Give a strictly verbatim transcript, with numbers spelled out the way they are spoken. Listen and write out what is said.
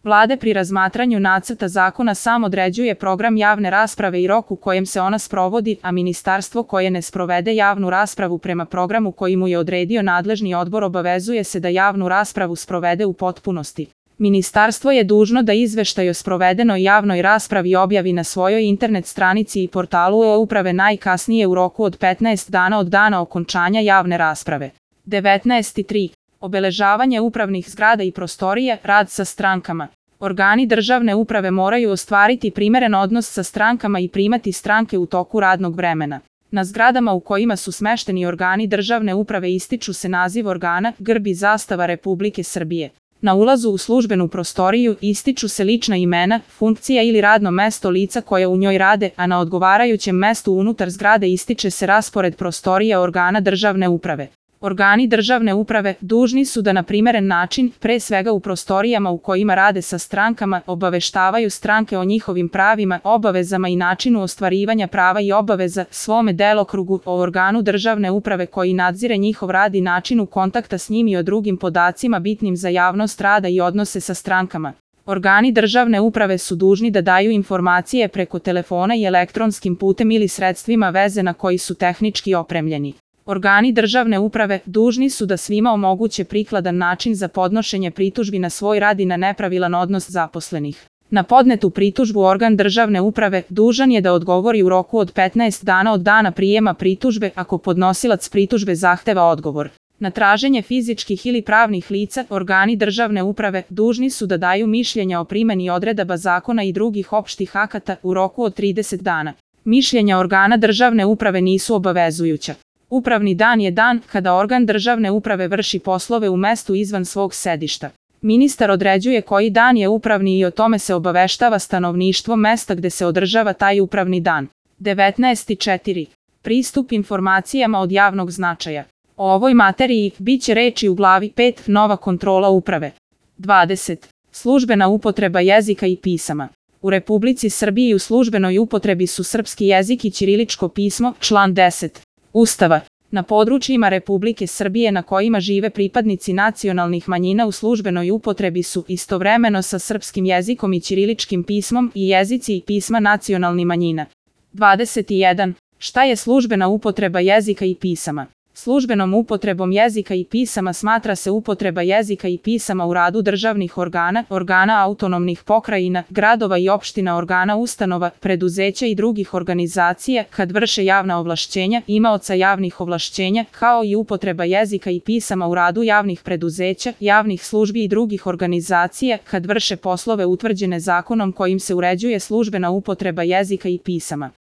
Vlada pri razmatranju nacrta zakona sam određuje program javne rasprave i rok u kojem se ona sprovodi, a ministarstvo koje ne sprovede javnu raspravu prema programu koji mu je odredio nadležni odbor obavezuje se da javnu raspravu sprovede u potpunosti. Ministarstvo je dužno da izveštaj o sprovedenoj javnoj raspravi objavi na svojoj internet stranici i portalu e-uprave najkasnije u roku od petnaest dana od dana okončanja javne rasprave. devetnaest tri. Obeležavanje upravnih zgrada i prostorija, rad sa strankama. Organi državne uprave moraju ostvariti primeren odnos sa strankama i primati stranke u toku radnog vremena. Na zgradama u kojima su smešteni organi državne uprave ističu se naziv organa, grb i zastava Republike Srbije. Na ulazu u službenu prostoriju ističu se lična imena, funkcija ili radno mesto lica koja u njoj rade, a na odgovarajućem mestu unutar zgrade ističe se raspored prostorija organa državne uprave. Organi državne uprave dužni su da na primeren način, pre svega u prostorijama u kojima rade sa strankama, obaveštavaju stranke o njihovim pravima, obavezama i načinu ostvarivanja prava i obaveza, svome delokrugu, o organu državne uprave koji nadzire njihov rad i načinu kontakta s njim i o drugim podacima bitnim za javnost rada i odnose sa strankama. Organi državne uprave su dužni da daju informacije preko telefona i elektronskim putem ili sredstvima veze na koji su tehnički opremljeni. Organi državne uprave dužni su da svima omoguće prikladan način za podnošenje pritužbi na svoj rad i na nepravilan odnos zaposlenih. Na podnetu pritužbu organ državne uprave dužan je da odgovori u roku od petnaest dana od dana prijema pritužbe ako podnosilac pritužbe zahteva odgovor. Na traženje fizičkih ili pravnih lica, organi državne uprave dužni su da daju mišljenja o primeni odredaba zakona i drugih opštih akata u roku od trideset dana. Mišljenja organa državne uprave nisu obavezujuća. Upravni dan je dan kada organ državne uprave vrši poslove u mestu izvan svog sedišta. Ministar određuje koji dan je upravni i o tome se obaveštava stanovništvo mesta gde se održava taj upravni dan. devetnaest četiri. Pristup informacijama od javnog značaja. O ovoj materiji biće reči u glavi pet. Nova kontrola uprave. dvadeset. Službena upotreba jezika i pisama. U Republici Srbiji u službenoj upotrebi su srpski jezik i ćiriličko pismo, član deset. Ustava. Na područjima Republike Srbije na kojima žive pripadnici nacionalnih manjina u službenoj upotrebi su istovremeno sa srpskim jezikom i ćiriličkim pismom i jezici i pisma nacionalnih manjina. dvadeset jedan. Šta je službena upotreba jezika i pisama? Službenom upotrebom jezika i pisama smatra se upotreba jezika i pisama u radu državnih organa, organa autonomnih pokrajina, gradova i opština, organa ustanova, preduzeća i drugih organizacija kad vrše javna ovlašćenja, imaoca javnih ovlašćenja, kao i upotreba jezika i pisama u radu javnih preduzeća, javnih službi i drugih organizacija kad vrše poslove utvrđene zakonom kojim se uređuje službena upotreba jezika i pisama.